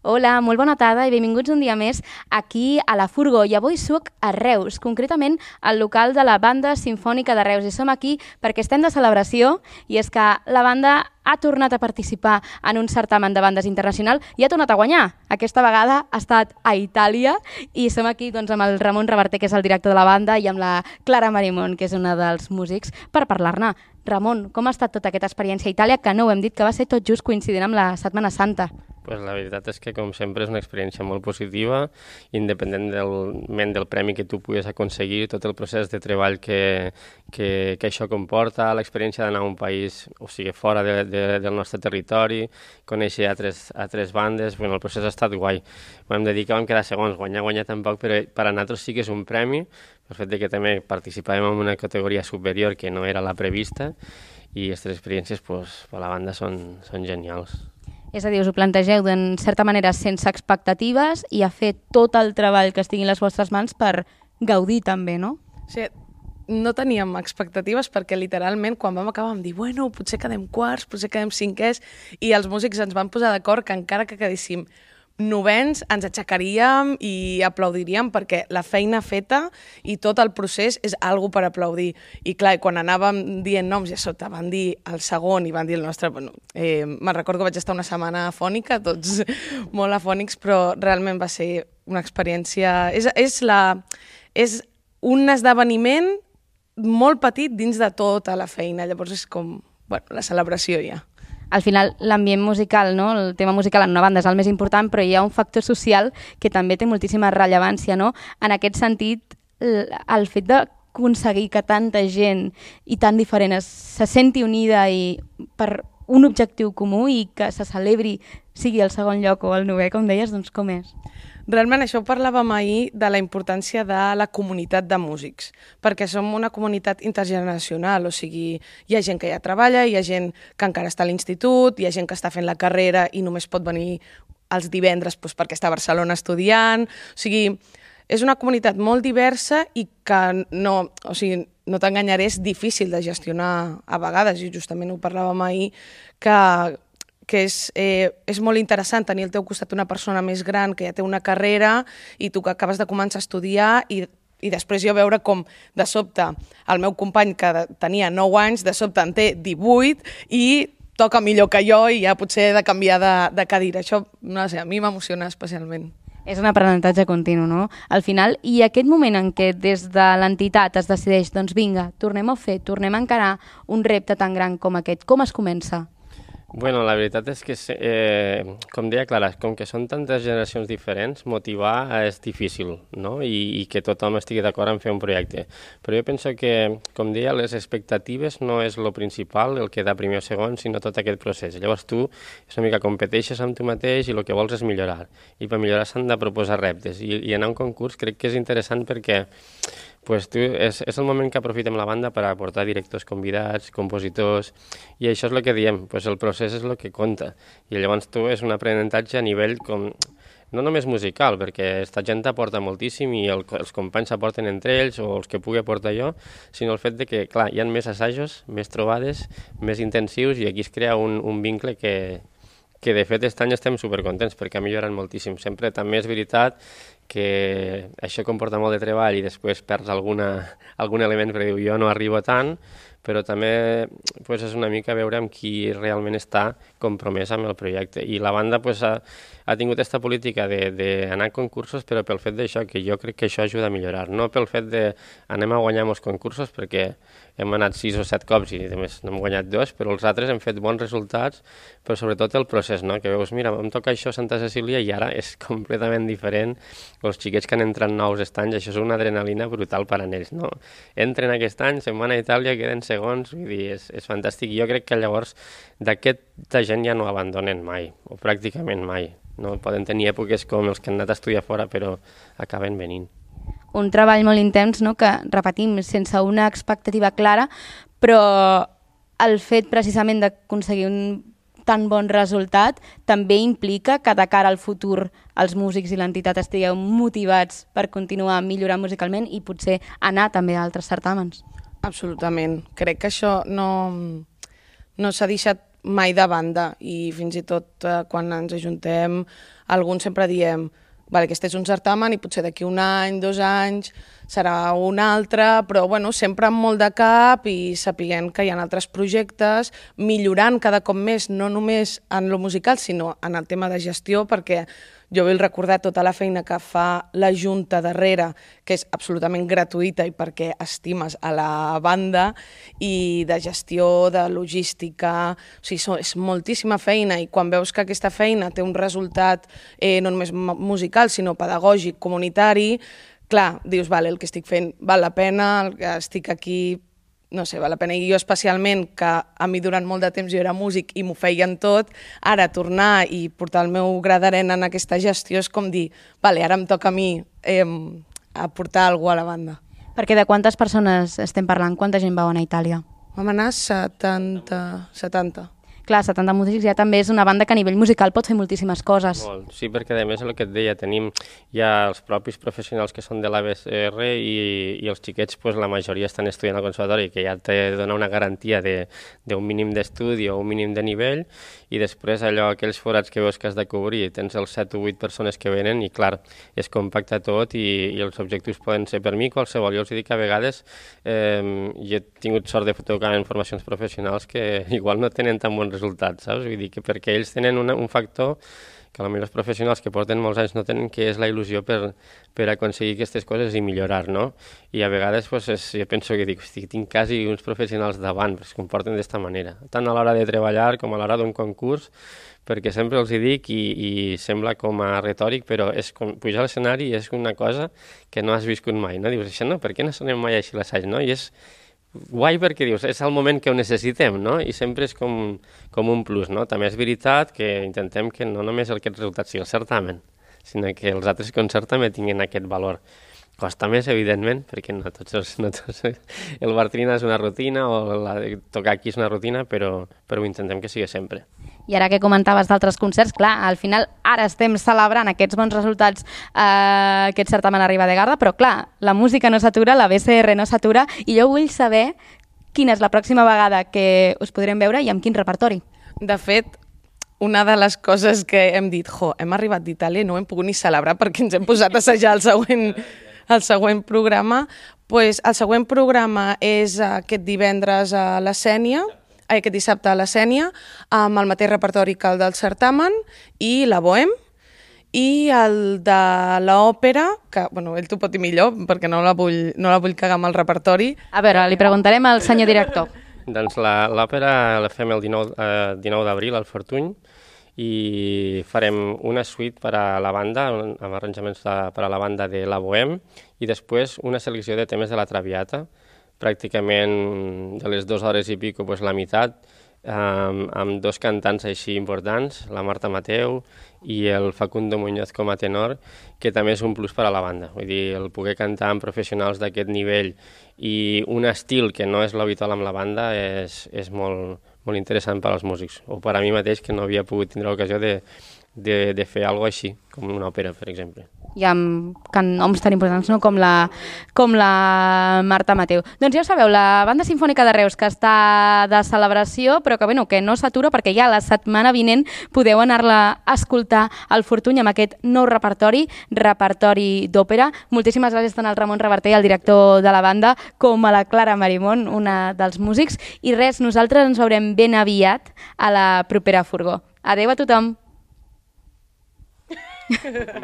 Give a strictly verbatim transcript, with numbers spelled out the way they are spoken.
Hola, molt bona tarda i benvinguts un dia més aquí a la Furgó. I avui soc a Reus, concretament al local de la Banda Simfònica de Reus. I som aquí perquè estem de celebració i és que la banda ha tornat a participar en un certamen de bandes internacional i ha tornat a guanyar. Aquesta vegada ha estat a Itàlia i som aquí doncs, amb el Ramon Reverter, que és el director de la banda, i amb la Clara Marimón, que és una dels músics, per parlar-ne. Ramon, com ha estat tota aquesta experiència a Itàlia, que no ho hem dit, que va ser tot just coincidint amb la Setmana Santa? Pues la veritat és que, com sempre, és una experiència molt positiva, independentment del premi que tu puguis aconseguir, tot el procés de treball que, que, que això comporta, l'experiència d'anar a un país, o sigui, fora de, de, del nostre territori, conèixer altres, altres bandes, bueno, el procés ha estat guai. Vam dir que vam quedar segons, guanyar, guanyar tampoc, però per a nosaltres sí que és un premi, el fet de que també participàvem en una categoria superior que no era la prevista, i aquestes experiències pues, per la banda són, són genials. És a dir, us ho plantegeu d'en certa manera sense expectatives i a fer tot el treball que estigui en les vostres mans per gaudir també, no? Sí, no teníem expectatives perquè literalment quan vam acabar vam dir bueno, potser quedem quarts, potser quedem cinquers, i els músics ens van posar d'acord que encara que quedéssim novens ens aixecaríem i aplaudiríem perquè la feina feta i tot el procés és algo per aplaudir. I clar, quan anàvem dient noms i a sota van dir el segon i van dir el nostre... Bueno, eh, me'n recordo que vaig estar una setmana afònica, tots molt afònics, però realment va ser una experiència... És, és, la, és un esdeveniment molt petit dins de tota la feina. Llavors és com bueno, la celebració ja. Al final, l'ambient musical, no? El tema musical en una banda és el més important, però hi ha un factor social que també té moltíssima rellevància, no? En aquest sentit, el fet d'aconseguir que tanta gent i tan diferent es, se senti unida i per un objectiu comú i que se celebri, sigui el segon lloc o el novè, com deies, doncs com és? Realment això ho parlàvem ahir de la importància de la comunitat de músics, perquè som una comunitat intergeneracional, o sigui, hi ha gent que ja treballa, hi ha gent que encara està a l'institut, hi ha gent que està fent la carrera i només pot venir els divendres doncs, perquè està a Barcelona estudiant, o sigui, és una comunitat molt diversa i que no, o sigui, no t'enganyaré, és difícil de gestionar a vegades, i justament ho parlàvem ahir, que que és, eh, és molt interessant tenir al teu costat una persona més gran que ja té una carrera i tu que acabes de començar a estudiar i, i després jo veure com de sobte el meu company que tenia nou anys de sobte en té divuit i toca millor que jo i ja potser he de canviar de, de cadira. Això, no sé, a mi m'emociona especialment. És un aprenentatge continu, no? Al final, i aquest moment en què des de l'entitat es decideix, doncs vinga, tornem a fer, tornem a encarar un repte tan gran com aquest, com es comença? Bueno, la veritat és que, eh, com deia Clara, com que són tantes generacions diferents, motivar és difícil, no? I, i que tothom estigui d'acord en fer un projecte. Però jo penso que, com deia, les expectatives no és el principal, el que da primer o segon, sinó tot aquest procés. Llavors tu és una mica competeixes amb tu mateix i el que vols és millorar. I per millorar s'han de proposar reptes. I, i anar a un concurs crec que és interessant perquè pues tu, és, és el moment que aprofitem la banda per aportar directors convidats, compositors, i això és el que diem, pues el procés és el que compta. I llavors tu és un aprenentatge a nivell com, no només musical, perquè aquesta gent aporta moltíssim i el, els companys s'aporten entre ells o els que pugui aportar jo, sinó el fet de que, clar, hi ha més assajos, més trobades, més intensius i aquí es crea un, un vincle que, que de fet aquest any estem supercontents perquè ha millorat moltíssim. Sempre també és veritat que això comporta molt de treball i després perds alguna, algun element perquè diu jo no arribo tant, però també pues, és una mica veure amb qui realment està compromès amb el projecte. I la banda pues, ha, ha tingut aquesta política d'anar a concursos, però pel fet d'això, que jo crec que això ajuda a millorar. No pel fet d'anem a guanyar molts concursos, perquè hem anat sis o set cops i només n'hem guanyat dos, però els altres hem fet bons resultats, però sobretot el procés, no? Que veus, mira, em toca això a Santa Cecília i ara és completament diferent. Els xiquets que han entrat nous aquest any, això és una adrenalina brutal per a ells, no? Entren aquest any, se'n van a Itàlia, queden segons, vull dir, és, és fantàstic. Jo crec que llavors d'aquesta gent ja no abandonen mai, o pràcticament mai. No? Poden tenir èpoques com els que han anat a estudiar fora, però acaben venint. Un treball molt intens, no? Que, repetim, sense una expectativa clara, però el fet precisament d'aconseguir un tan bon resultat també implica que de cara al futur els músics i l'entitat estigueu motivats per continuar millorant musicalment i potser anar també a altres certàmens. Absolutament. Crec que això no, no s'ha deixat mai de banda, i fins i tot eh, quan ens ajuntem, alguns sempre diem vale, aquest és un certamen i potser d'aquí un any, dos anys, serà un altre, però bueno, sempre amb molt de cap i sapiguent que hi ha altres projectes, millorant cada cop més, no només en lo musical, sinó en el tema de gestió, perquè jo vull recordar tota la feina que fa la Junta darrere, que és absolutament gratuïta i perquè estimes a la banda, i de gestió, de logística, o sigui, és moltíssima feina, i quan veus que aquesta feina té un resultat eh, no només musical, sinó pedagògic, comunitari, clar, dius, vale, el que estic fent val la pena, el que estic aquí, no sé, val la pena. I jo especialment, que a mi durant molt de temps jo era músic i m'ho feien tot, ara tornar i portar el meu gra d'arena en aquesta gestió és com dir, vale, ara em toca a mi eh, aportar alguna cosa a la banda. Perquè de quantes persones estem parlant? Quanta gent vau anar a Itàlia? Vam anar setanta, setanta. Clar, setanta músics ja també és una banda que a nivell musical pot fer moltíssimes coses. Molt, sí, perquè a més el que et deia, tenim ja els propis professionals que són de l'A B C R i, i els xiquets, pues, la majoria estan estudiant al conservatori, que ja te dona una garantia d'un mínim d'estudi o un mínim de nivell, i després allò, aquells forats que veus que has de cobrir, tens els set o vuit persones que venen i clar, es compacta tot i, i els objectius poden ser per mi qualsevol. Jo els dic que a vegades eh, jo he tingut sort de tocar en formacions professionals que igual no tenen tan bons resultats, saps? Vull dir que perquè ells tenen una, un factor que potser els professionals que porten molts anys no tenen, que és la il·lusió per, per aconseguir aquestes coses i millorar, no? I a vegades pues, és, jo penso que dic, hosti, tinc quasi uns professionals davant, perquè es comporten d'esta manera, tant a l'hora de treballar com a l'hora d'un concurs, perquè sempre els hi dic i, i sembla com a retòric, però és com pujar a l'escenari és una cosa que no has viscut mai, no? Dius, això no, per què no sonem mai així l'assaig, no? I és guai perquè dius, és el moment que ho necessitem, no? I sempre és com, com un plus, no? També és veritat que intentem que no només aquest resultat sigui el certamen, sinó que els altres concerts també tinguin aquest valor. Costa més, evidentment, perquè no tots els, no tots, el Bartrina és una rutina o la, tocar aquí és una rutina, però, però ho intentem que sigui sempre. I ara que comentaves d'altres concerts, clar, al final ara estem celebrant aquests bons resultats, eh, aquest certamen arriba de Garda, però clar, la música no s'atura, la B C R no s'atura, i jo vull saber quina és la pròxima vegada que us podrem veure i amb quin repertori. De fet, una de les coses que hem dit, jo, hem arribat d'Itàlia i no ho hem pogut ni celebrar perquè ens hem posat a assajar el següent, el següent programa, pues, el següent programa és aquest divendres a la Sénia, aquest dissabte a la Sénia, amb el mateix repertori que el del certamen i la Bohem, i el de l'òpera, que bueno, ell t'ho pot dir millor perquè no la vull, no la vull cagar amb el repertori. A veure, li preguntarem al senyor director. Doncs l'òpera la fem el dinou, eh, dinou d'abril al Fortuny i farem una suite per a la banda, amb arranjaments de, per a la banda de la Bohem, i després una selecció de temes de la Traviata, pràcticament de les dues hores i pico, pues, la meitat, amb, amb dos cantants així importants, la Marta Mateu i el Facundo Muñoz com a tenor, que també és un plus per a la banda. Vull dir, el poder cantar amb professionals d'aquest nivell i un estil que no és l'habitual amb la banda és, és molt, molt interessant per als músics, o per a mi mateix, que no havia pogut tindre l'ocasió de, de, de fer alguna cosa així, com una òpera, per exemple. I amb noms tan importants, no? com, la, com la Marta Mateu. Doncs ja ho sabeu, la Banda Simfònica de Reus, que està de celebració, però que, bueno, que no s'atura perquè ja la setmana vinent podeu anar-la a escoltar al Fortuny amb aquest nou repertori, repertori d'òpera. Moltíssimes gràcies tant al Ramon Reverter, el director de la banda, com a la Clara Marimón, una dels músics. I res, nosaltres ens veurem ben aviat a la propera furgó. Adéu a tothom!